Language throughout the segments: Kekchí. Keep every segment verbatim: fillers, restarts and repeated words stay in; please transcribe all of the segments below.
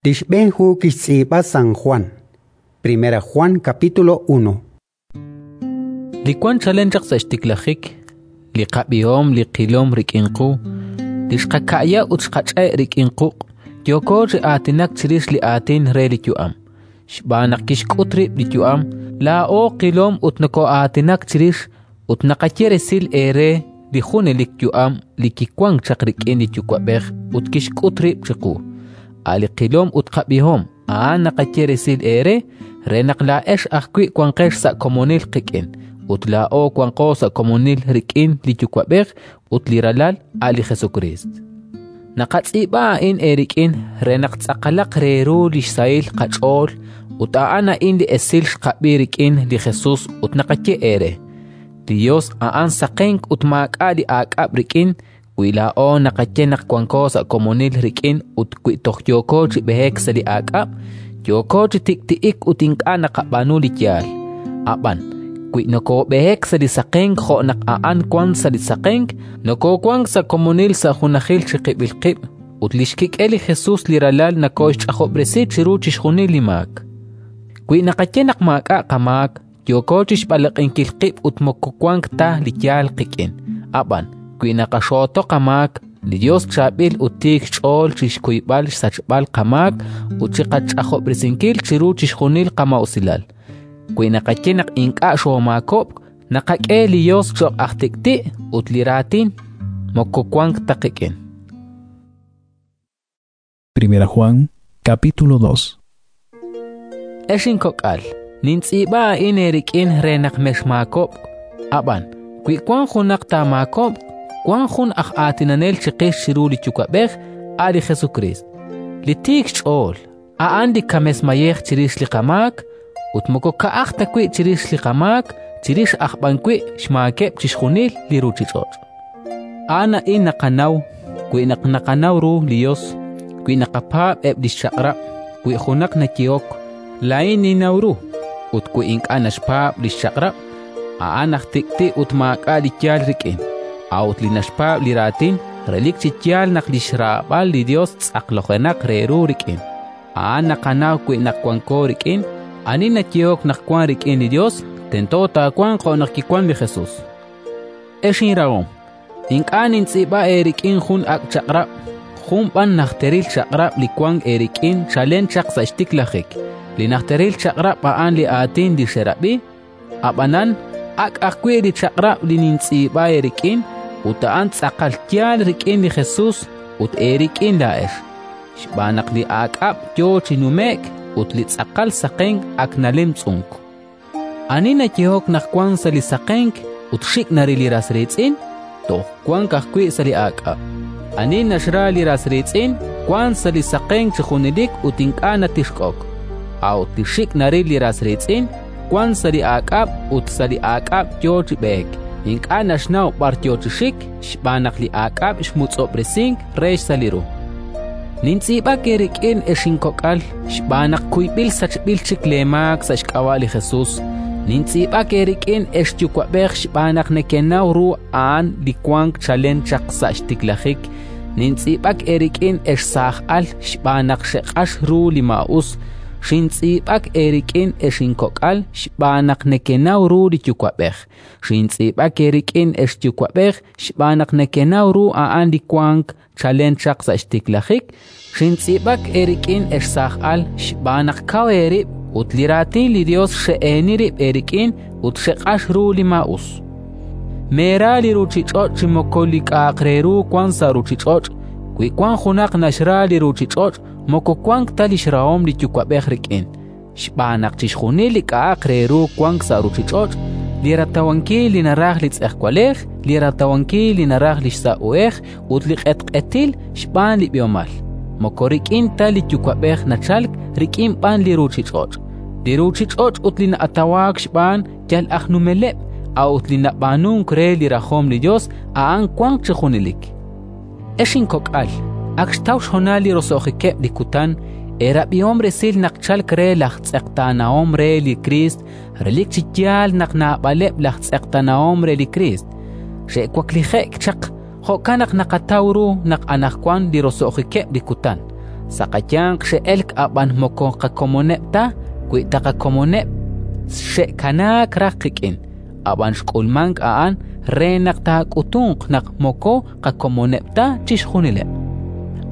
Li xb'een hu kixtz'iib'a San Jwan. Primera Juan capítulo uno. Li wank chalen chaq sa' xtiklajik, li qab'ihom, li qilom rik'in qu, li xqaka'ya ut xqach'e' rik'in quq', yooko chi aatinak chirix li Aatin re li yu'am. Xb'aan naq kixk'ut rib' li yu'am, laa'o qilom ut nokoo'aatinak chirix, ut naqaye resil eere li junelik yu'am li kiwank chaq rik'in li Yuwa'b'ej ut kixk'ut rib' chiqu. A' li qilom ut qab'ihom, a'an naqaye resil eere, re naq laa'ex ajwi' wanqex sa' komonil qik'in; ut laa'o wanqo sa' komonil rik'in li Yuwa'b'ej ut li Ralal, a' li Jesukriist. Naqatz'iib'a a'in eerik'in re naq tz'aqalaq re ru li xsahil qach'ool. Ut a'an a'in li esil xqab'i rik'in li Jesus ut naqaye eere: li Yos a'an saqenk ut maak'a' li aak'ab' rik'in. Wi laa'o naqaye naq wanko sa' komonil rik'in ut wi toj yooko chi b'eek sa' li aak'ab', yooko chi tik'ti'ik ut ink'a' naqab'aanu li yaal. Ab'an wi nokoob'eek sa' li saqenk jo' naq a'an wank sa' li saqenk, nokoowank sa' komonil sa' junajil chiqib'il qib', ut li xkik'el li Jesus li Ralal nokooxch'ajob'resi chiru chixjunil li maak. Wi naqaye naq maak'a' qamaak, yooko chi xb'alaq'inkil qib' ut moko wank ta li yaal qik'in. Ab'an wi naqaxooto qamaak, li Yos chaab'il ut tiik xch'ool chi xkuyb'al xsachb'al qamaak ut chi qach'ajob'resinkil chiru chixjunil qamaa'usilal. Wi naqaye naq ink'a' xoomaakob'k, naqak'e li Yos cho'q aj tik'ti' ut li Raatin moko wank ta qik'in. Primera Juan, capítulo dos. Ex inkok'al, nintz'iib'a a'in eerik'in re naq mexmaakob'k. Ab'an wi wank junaq taamaakob'q, wank jun aj aatinanel chiqix chiru li Yuwa'b'ej, a' li Jesukriist, li tiik xch'ool. A'an li kames mayej chirix li qamaak, ut moko ka'aj ta wi' chirix li qamaak, chirix aj b'an wi' xmaakeb' chixjunil li ruuchich'och'. A'an a'in naqanaw wi naq naqanaw ru li Yos, wi naqapaab' eb' li xchaq'rab'. Wi junaq nayehok: “Laa'in ninnaw ru”, ut wi ink'a' naxpaab' li xchaq'rab', a'an aj tik'ti' ut maak'a' li yaal rik'in. A'ut li naxpaab' li raatin, relik chi yaal naq li xraab'al li Yos tz'aqlojenaq re ru rik'in. A'an naqanaw wi' naq wanko rik'in. Ani nayehok naq wank rik'in li Yos, tento taawanq jo' naq kiwank li Jesus. Ex inrahom, ink'a' nintz'iib'a eerik'in jun ak' chaq'rab', jun b'an najteril chaq'rab' li wank eerik'in chalen chaq sa' xtiklajik. Li najteril chaq'rab' a'an li aatin li xerab'i. Ab'anan ak' ajwi' li chaq'rab' li nintz'iib'a eerik'in, ut a'an tz'aqal yaal rik'in li Jesus ut eerik'in laa'ex, xb'aan naq li aak'ab' yo chi nume'k ut li tz'aqal saqenk ak nalemtz'unk. Ani nayehok naq wank sa' li saqenk ut xik' naril li ras riitz'in, toj wank ajwi' sa' li aak'ab'. Ani naxra li ras riitz'in, wank sa' li saqenk chi junelik ut ink'a' natichk'ok. A'ut li xik' naril li ras riitz'in, wank sa' li aak'ab' ut sa' li aak'ab' yo chi b'eek. Ink'a' naxnaw b'ar yo chi xik, xb'aan naq li aak'ab' xmutz'ob'resink re xsa' li ru. Nintz'iib'ak eerik'in, ex inkok'al, xb'aan naq kuyb'il sachb'il chik leemaak sa' xk'ab'a' li Jesus. Nintz'iib'ak eerik'in, ex yuwa'b'ej, xb'aan naq nekenaw ru a'an li wank chalen chaq sa' xtiklajik. Nintz'iib'ak eerik'in, ex saaj al, xb'aan naq xeq'ax ru li maa'us. Xintz'iib'ak eerik'in, ex inkok'al, xb'aan naq nekenaw ru li Yuwa'b'ej. Xintz'iib'ak eerik'in, ex yuwa'b'ej, xb'aan naq nekenaw ru a'an li wank chalen chaq sa' xtiklajik. Xintz'iib'ak eerik'in, ex saaj al, xb'aan naq kaw eerib' ut li Raatin li Yos xe'eeni rib' eerik'in ut xeq'ax ru li maa'us. Meera li ruuchich'och' chi moko li k'a'aq re ru wank sa' ruuchich'och'. Wi wank junaq naxra li ruuchich'och', moko wank ta li xrahom li Yuwa'b'ej rik'in. Xb'aan naq chixjunil li k'a'aq re ru wank sa' ruuchich'och', li ratawankil li naraj li tz'ejwalej, li ratawankil li naraj li xsa' uhej ut li q'etq'etil xb'aan li b'ihomal, moko rik'in ta li Yuwa'b'ej nachalk, rik'in b'an li ruuchich'och'. Li ruuchich'och' ut li na'atawaak xb'aan yal aj numeleb', a'ut li nab'aanunk re li rajom li Yos, a'an wanq chi junelik. Ex inkok'al, ak xtaw xhonal li roso'jikeb' li kutan. Eerab'ihom resil naq chalk re laj tz'eqtaanahom re li Kriist. Relik chi yaal naq naab'aleb' laj tz'eqtaanahom re li Kriist xe'waklije'k chaq, jo'kan naq naqataw ru naq anaqwan li roso'jikeb' li kutan. Sa' qayanq xe'elk, ab'an moko qakomoneb' ta; wi ta qakomoneb', xe'kanaak raj qik'in. Ab'an xk'ulmank a'an re naq taak'utunq naq moko qakomoneb' ta chixjunileb'.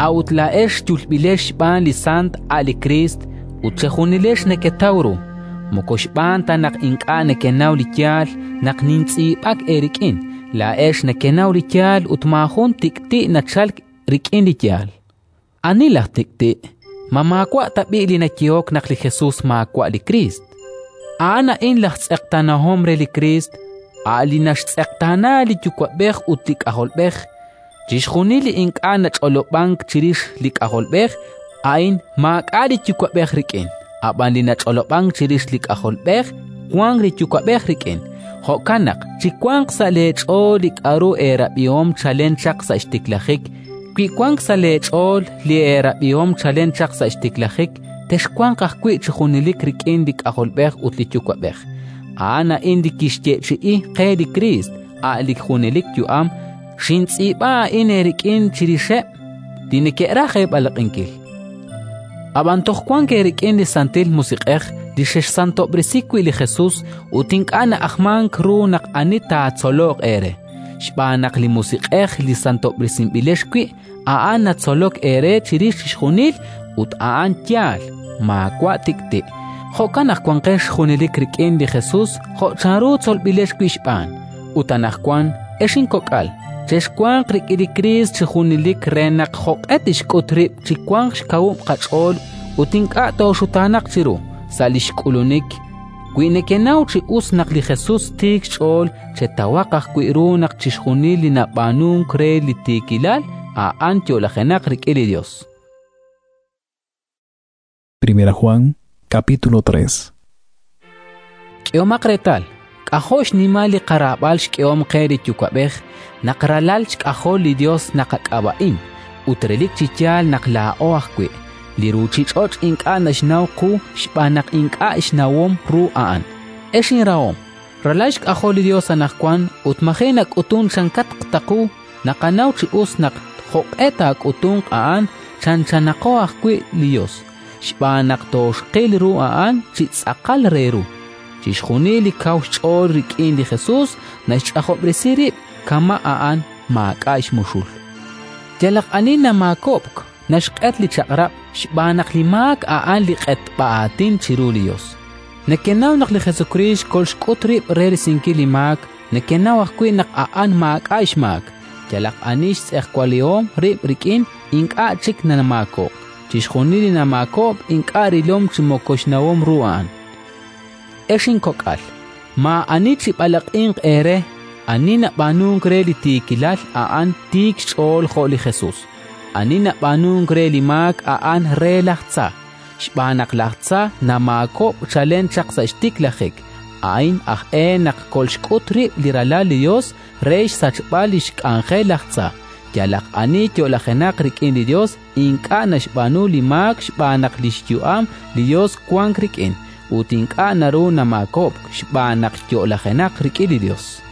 A'ut laa'ex yulb'ilex xb'aan li Sant, a' li Kriist, ut chejunilex neketaw ru. Moko xb'aan ta naq ink'a' nekenaw li yaal naq nintz'iib'ak eerik'in; laa'ex nekenaw li yaal ut maajun tik'ti' nachalk rik'in li yaal. Ani laj tik'ti'? Ma maawa' tab'i' li nayehok naq li Jesus maawa' li Kriist? A'an a'in laj tz'eqtaanahom re li Kriist, a' li naxtz'eqtaana li Yuwa'b'ej ut li K'ajolb'ej. Chixjunil li ink'a' nach'olob'ank chirix li K'ajolb'ej, a'in maak'a' li Yuwa'b'ej rik'in; ab'an li nach'olob'ank chirix li K'ajolb'ej, wank li Yuwa'b'ej rik'in. Jo'kan naq chiwanq sa' leech'ool li k'aru eerab'ihom chalen chaq sa' xtiklajik. Wi wank sa' leech'ool li eerab'ihom chalen chaq sa' xtiklajik, texwanq ajwi' chi junelik rik'in li K'ajolb'ej ut li Yuwa'b'ej. A'an a'in li kixyeechi'i qe li Kriist, a' li junelik yu'am. Xintz'iib'a a'in eerik'in chirixeb' li neke'raj eeb'alaq'inkil. Ab'an toj wank eerik'in li Santil Musiq'ej li xexsantob'resi wi' li Jesus, ut ink'a' na'ajmank ru naq ani taatzoloq eere, xb'aan naq li Musiq'ej li santob'resinb'ilex wi', a'an natzolok eere chirix chixjunil ut a'an yaal, maawa' tik'ti'. Jo'kan naq wanqex junelik rik'in li Jesus jo' chanru tzolb'ilex wi' xb'aan. Ut anaqwan, ex inkok'al, chexwanq rik'in li Kriist chi junelik re naq jo'q'e tixk'ut rib' chiwanq xkawub' qach'ool ut ink'a' tooxutaanaq chiru sa' li xk'ulunik. Wi nekenaw chi us naq li Jesus tiik xch'ool, chetawaq ajwi' ru naq chixjunil li nab'aanunk re li tiikilal, a'an yo'lajenaq rik'in li Yos. Primera Juan, capítulo tres. K'ehomaq reetal, k'ajo' xnimal li qaraab'al xk'ehom qe li Yuwa'b'ej naq ralal xk'ajol li Yos naqak'ab'a'in, ut relik chi yaal naq laa'o ajwi'. Li ruuchich'och' ink'a' naxnaw qu xb'aan naq ink'a' xnawom ru a'an. Ex inrahom, ralal xk'ajol li Yos anaqwan ut maji' nak'utunk chankatq ta qu, naqanaw chi us naq jo'q'e taak'utunq a'an chanchanaqo ajwi' li Yos, xb'aan naq tooxqil ru a'an chi tz'aqal re ru. Chixjunil li kaw xch'ool rik'in li Jesus naxch'ajob'resi rib' kama' a'an maak'a' xmuxul. Yalaq ani namaakob'k naxq'et li chaq'rab' xb'aan naq li maak a'an li q'etb'a aatin chiru li Yos. Nekenaw naq li Jesukriist kolxk'ut rib' re risinkil li maak, nekenaw ajwi' naq a'an maak'a' xmaak. Yalaq ani xtz'ejwalihom rib' rik'in, ink'a' chik namaakob'k. Chixjunil li namaakob'k ink'a' rilom chi moko xnawom ru a'an. Ex inkok'al, maa'ani chib'alaq'inq eere. Ani nab'aanunk re li tiikilal, a'an tiik xch'ool jo' li Jesus. Ani nab'aanunk re li maak, a'an re laj tza, xb'aan naq laj tza namaakob'k chalen chaq sa' xtiklajik. A'in aj e naq kolxk'ut rib' li Ralal li Yos re xsachb'al li xk'anjel laj tza. Yalaq ani yo'lajenaq rik'in li Yos ink'a' naxb'aanu li maak xb'aan naq li xyu'am li Yos wank rik'in, ut ink'a' naru namaakob'k xb'aan naq yo'lajenaq rik'in li Yos.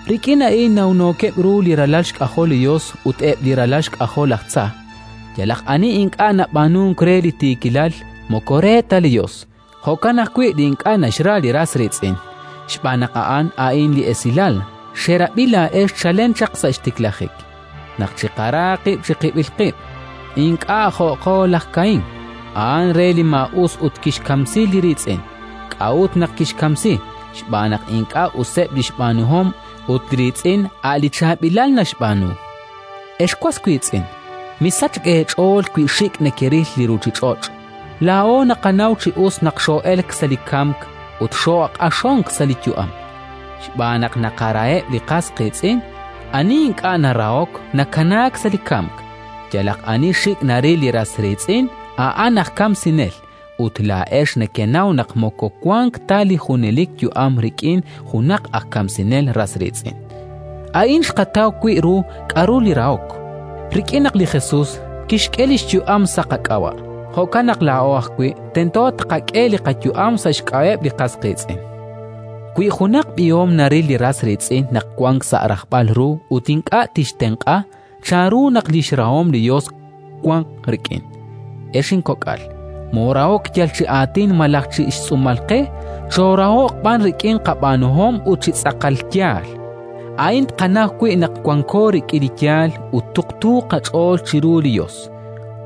Rik'in a'in nawnookeb' ru li ralal xk'ajol li Yos ut eb' li ralal xk'ajol laj tza. Yalaq ani ink'a' nab'aanunk re li tiikilal moko re ta li Yos, jo'kan ajwi' li ink'a' naxra li ras riitz'in. Xb'aan naq a'an a'in li esilal xerab'i laa'ex chalen chaq sa' xtiklajik, naq chiqara qib' chiqib'il qib', ink'a' jo'qo laj Kaín, a'an re li maa'us ut kixkamsi li riitz'in. K'a'ut naq kixkamsi? Xb'aan naq ink'a' useb' li xb'aanuhom ut li riitz'in a' li chaab'ilal naxb'aanu. Ex was wiitz'in, misachk eech'ool wi xik' nekeril li ruuchich'och'. Laa'o naqanaw chi us naq xoo'elk sa' li kamk ut xooq'axonk sa' li yu'am. Xb'aan naq naqaraheb' li qas qiitz'in, ani ink'a' narahok nakanaak sa' li kamk. Yalaq ani xik' naril li ras riitz'in, a'an aj kamsinel, ut laa'ex nekenaw naq moko wank ta li junelik yu'am rik'in junaq aj kamsinel ras riitz'in. A'in xqataw wi' ru k'aru li rahok, rik'in naq li Jesus kixk'e li xyu'am sa' qak'ab'a'. Jo'kan naq laa'o ajwi' tento tqak'e li qayu'am sa' xk'ab'a'eb' li qas qiitz'in. Wi junaq b'ihom naril li ras riitz'in naq wank sa' rajb'al ru ut ink'a' tixtenq'a, chanru naq li xrahom li Yos wanq rik'in? Ex inkok'al, moorahok yal chi aatin malaj chi xtz'uumal qe, choorahoq b'an rik'in qab'aanuhom ut chi tz'aqal yaal. A'in tqanaw wi' naq wanko rik'in li yaal ut tuqtu qach'ool chiru li Yos.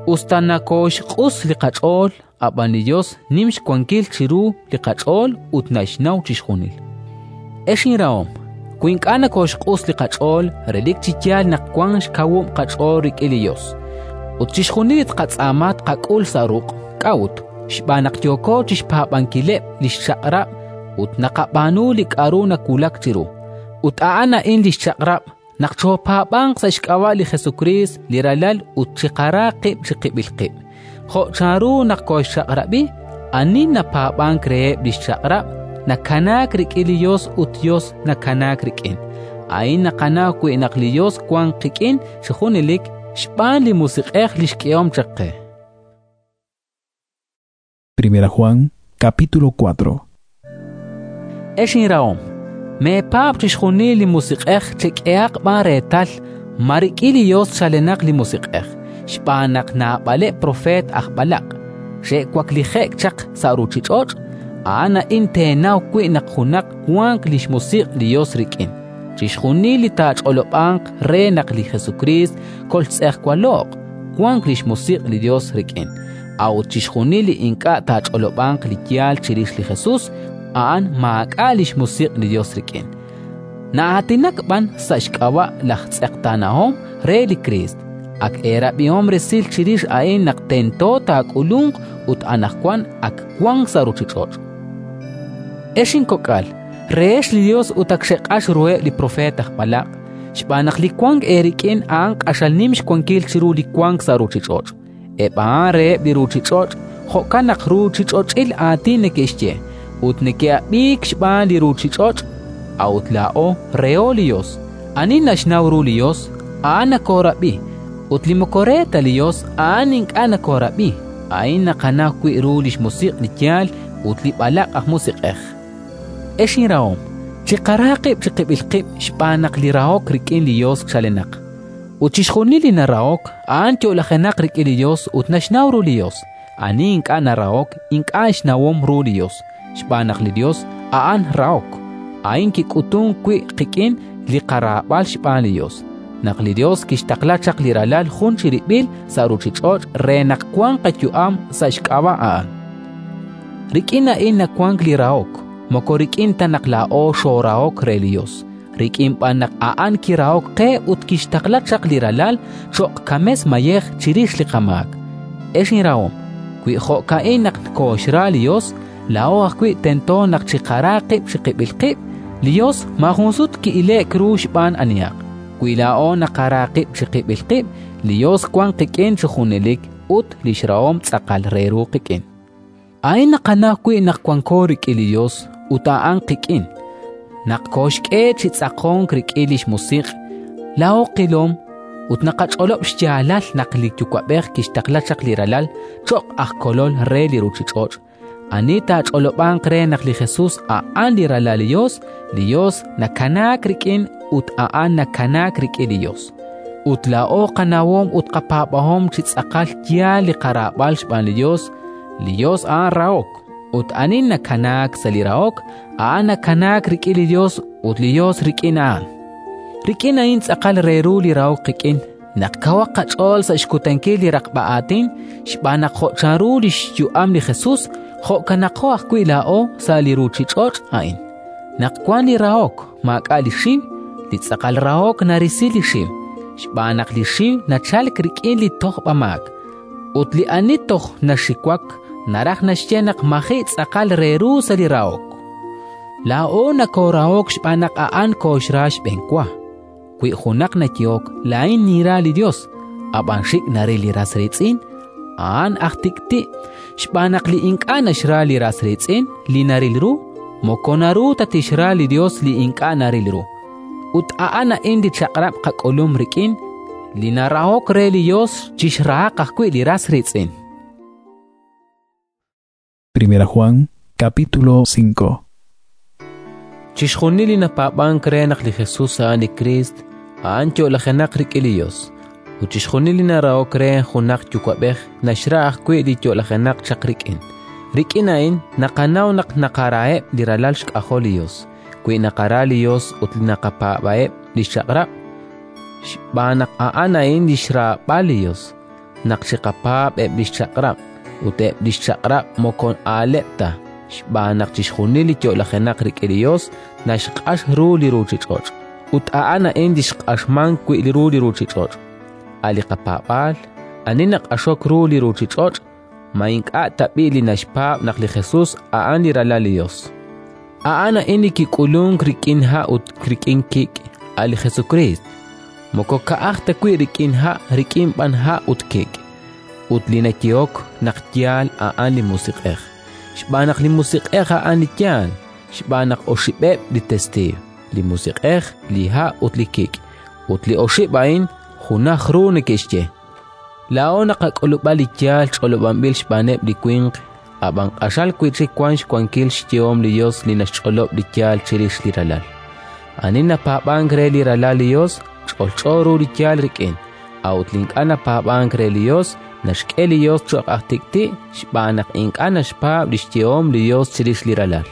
Us ta nokooxq'us li qach'ool, ab'an li Yos nim xwankil chiru li qach'ool ut naxnaw chixjunil. Ex inrahom, wi ink'a' nokooxq'us li qach'ool, relik chi yaal naq wank xkawub' qach'ool rik'in li Yos. Ut chixjunil li tqatz'aama tqak'ul sa' ruq'. K'a'ut? Xb'aan naq yooko chi xpaab'ankileb' li xchaq'rab' ut naqab'aanu li k'aru nawulak chiru. Ut a'an a'in li xchaq'rab': naq choopaab'anq sa' xk'ab'a' li Jesukriist li Ralal ut chiqara qib' chiqib'il qib', jo' chanru naq kooxchaq'rab'i. Ani napaab'ank reheb' li xchaq'rab' nakanaak rik'in li Yos ut Yos nakanaak rik'in. A'in naqanaw wi' naq li Yos wank qik'in chi junelik, xb'aan li Musiq'ej li xk'ehom chaq qe. Primera Juan, capítulo cuatro. Ex inrahom, meepaab' chixjunil li musiq'ej, chek'ehaq b'an reetal ma rik'in li Yos chalenaq li musiq'ej, xb'aan naq naab'aleb' propeet aj b'alaq' xe'waklije'k chaq sa' ruuchich'och'. A'an a'in teenaw wi' naq junaq wank li xmusiq' li Yos rik'in: chixjunil li taach'olob'anq re naq li Jesukriist koltz'ejwalo'q, wank li xmusiq' li Yos rik'in. A'ut chixjunil li ink'a' taach'olob'anq li yaal chirix li Jesus, a'an maak'a' li xmusiq' li Yos rik'in. Na'aatinak b'an sa' xk'ab'a' laj tz'eqtaanahom re li Kriist. Ak eerab'ihom resil chirix a'in naq tento taak'ulunq ut anaqwan ak wank sa' ruuchich'och'. Ex inkok'al, rehex li Yos ut ak xeq'ax ruheb' li propeet aj b'alaq', xb'aan naq li wank eerik'in a'an q'axal nim xwankil chiru li wank sa' ruuchich'och'. Eb' a'an reheb' li ruuchich'och', jo'kan naq ruuchich'och'il aatin neke'xye ut neke'ab'iik xb'aan li ruuchich'och'. A'ut laa'o reho li Yos. Ani naxnaw ru li Yos, a'an nakoorab'i, ut li moko re ta li Yos, a'an ink'a' nakoorab'i. A'in naqanaw wi' ru li xmusiq' li yaal ut li b'alaq' aj musiq'ej. Ex inrahom, chiqara qib' chiqib'il qib' xb'aan naq li rahok rik'in li Yos chalenaq. Ut chixjunil li narahok, a'an yo'lajenaq rik'in li Yos ut naxnaw ru li Yos. Ani ink'a' narahok, ink'a' xnawom ru li Yos, xb'aan naq li Yos a'an rahok. A'in kik'utunk wi' qik'in li qaraab'al xb'aan li Yos, naq li Yos kixtaqla chaq li Ralal jun chirib'il sa' ruuchich'och' re naq wanq qayu'am sa' xk'ab'a' a'an. Rik'in a'in nawank li rahok, moko rik'in ta naq laa'o xoorahok re li Yos, rik'in b'an naq a'an kirahok qe ut kixtaqla chaq li Ralal cho'q kames mayej chirix li qamaak. Ex inrahom, wi jo'ka'in naq kooxra li Yos, laa'o ajwi' tento naq chiqara qib' chiqib'il qib'. Li Yos maajun sut ki'ile'k ru xb'aan anihaq. Wi laa'o naqara qib' chiqib'il qib', li Yos wank qik'in chi junelik ut li xrahom tz'aqal re ru qik'in. A'in naqanaw wi' naq wanko rik'in li Yos ut a'an qik'in, naq kooxk'e chi tz'aqonk rik'in li xmusiq'. Laa'o qilom ut naqach'olob' xyaalal naq li Yuwa'b'ej kixtaqla chaq li Ralal cho'q aj kolol re li ruuchich'och'. Ani taach'olob'anq re naq li Jesus a'an li Ralal li Yos, li Yos nakanaak rik'in ut a'an nakanaak rik'in li Yos. Ut laa'o qanawom ut qapaab'ahom chi tz'aqal yaal li qaraab'al xb'aan li Yos. Li Yos a'an rahok, ut ani nakanaak sa' li rahok, a'an nakanaak rik'in li Yos ut li Yos rik'in a'an. Rik'in a'in tz'aqal re ru li rahok qik'in, naq kawaq qach'ool sa' xkutankil li raqb'a aatin, xb'aan naq jo' chanru li xyu'am li Jesus, jo'kanaqo ajwi' laa'o sa' li ruuchich'och' a'in. Naq wank li rahok, maak'a' li xiw. Li tz'aqal rahok narisi li xiw, xb'aan naq li xiw nachalk rik'in li tojb'amaak. Ut li ani toj naxiwak naraj naxye naq maji' tz'aqal re ru sa' li rahok. Laa'o nakoorahok xb'aan naq a'an kooxra xb'enwa. Wi junaq nayehok, laa'in ninra li Yos, ab'an xik' naril li ras riitz'in, a'an aj tik'ti', xb'aan naq li ink'a' naxra li ras riitz'in li naril ru, moko naru ta tixra li Yos li ink'a' naril ru. Ut a'an a'in li chaq'rab' qak'ulum rik'in: li narahok re li Yos chixrahaq ajwi' li ras riitz'in. Primera Juan, capítulo cinco. Chixjunil li napaab'ank re naq li Jesus a'an li Kriist, a'an yo'lajenaq rik'in li Yos. Ut chixjunil li narahok re junaq yuwa'b'ej naxra ajwi' li yo'lajenaq chaq rik'in. Rik'in a'in naqanaw naq naqaraheb' li ralal xk'ajol li Yos, wi naqara li Yos ut naqapaab'eb' li xchaq'rab'. Xb'aan naq a'an a'in li xraab'al li Yos: naq chiqapaab' eb' li xchaq'rab'. Ut eb' li xchaq'rab' moko aaleb' ta, xb'aan naq chixjunil li yo'lajenaq rik'in li Yos naxq'ax ru li ruuchich'och'. Ut a'an a'in li xq'axmank wi' ru li ruuchich'och': a' li qapaab'aal. Ani naq'axok ru li ruuchich'och'? Ma ink'a' tab'i' li naxpaab' naq li Jesus a'an li Ralal li Yos? A'an a'in li kik'ulunk rik'in ha' ut rik'in kik', a' li Jesukriist. Moko ka'aj ta wi' rik'in ha', rik'in b'an ha' ut kik'. Ut li nayehok naq yaal, a'an li Musiq'ej, xb'aan naq li Musiq'ej a'an li yaal. Xb'aan naq oxib'eb' li testiiw: li Musiq'ej, li ha' ut li kik', ut li oxib' a'in junaj ru neke'xye. Laa'o naqak'ulub'a li yaal ch'olob'anb'il xb'aaneb' li winq, ab'an q'axal wi' chik wank xwankil xyehom li Yos li naxch'olob' li yaal chirix li Ralal. Ani napaab'ank re li Ralal li Yos, ch'olch'o ru li yaal rik'in; a'ut li ink'a' napaab'ank re li Yos, naxk'e li Yos cho'q aj tik'ti' xb'aan naq ink'a' naxpaab' li xyehom li Yos chirix li Ralal.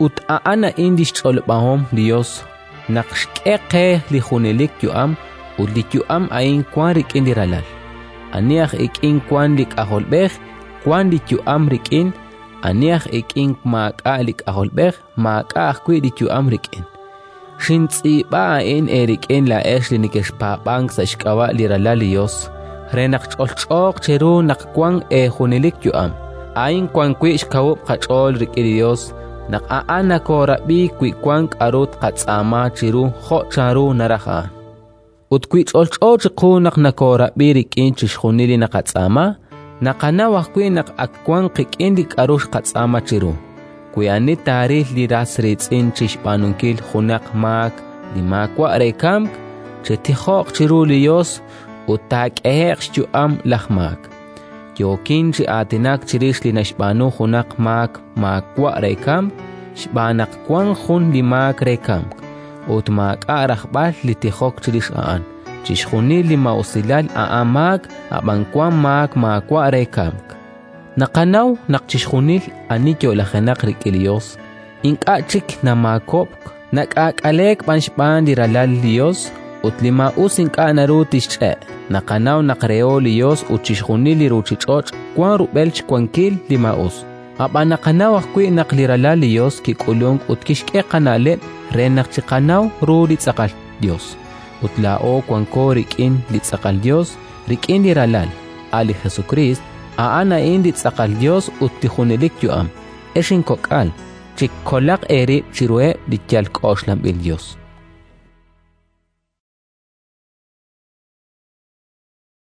Ut a'an a'in li xch'olob'ahom li Yos: naq xk'e qe li junelik yu'am, ut li yu'am a'in wank rik'in li Ralal. Ani aj ik'in wank li K'ajolb'ej, wank li yu'am rik'in; ani aj ik'in maak'a' li K'ajolb'ej, maak'a' ajwi' li yu'am rik'in. Xintz'iib'a a'in eerik'in laa'ex li nekexpaab'ank sa' xk'ab'a' li Ralal li Yos, re naq ch'olch'ooq cheru naq wank eejunelik yu'am. A'in wan wi' xkawub' qach'ool rik'in li Yos, naq A'an nokoorab'i wi wank k'aru tqatz'aama chiru jo' chanru naraj A'an. Ut wi ch'olch'o chiqu naq nokoorab'i rik'in chixjunil li naqatz'aama, naqanaw ajwi' naq ak wank qik'in li k'aru xqatz'aama chiru. Wi ani taaril li ras riitz'in chi xb'aanunkil junaq maak li maawa' re kamk, chitijoq chiru li Yos ut taak'ehe'q xyu'am laj maak. Yookin chi aatinak chirix li naxb'aanu junaq maak maawa' re kamk, xb'aan naq wank jun li maak re kamk, ut maak'a' rajb'al li tijok chirix a'an. Chixjunil li maa'usilal a'an maak, ab'an wank maak maawa' re kamk. Naqanaw naq chixjunil ani yo'lajenaq rik'in li Yos ink'a' chik namaakob'k, nak'aak'aleek b'an xb'aan li Ralal li Yos, ut li maa'us ink'a' naru tixch'e'. Naqanaw naq reho li Yos ut chixjunil li ruuchich'och' wank rub'el xwankil li maa'us. Ab'an naqanaw ajwi' naq li Ralal li Yos kik'ulunk ut kixk'e qana'leb' re naq chiqanaw ru li tz'aqal Yos. Ut laa'o wanko rik'in li tz'aqal Yos, rik'in li Ralal, a' li Jesukriist. A'an a'in li tz'aqal Yos ut li junelik yu'am. Ex inkok'al, chikolaq eerib' chiruheb' li yal k'oxlanb'il yos.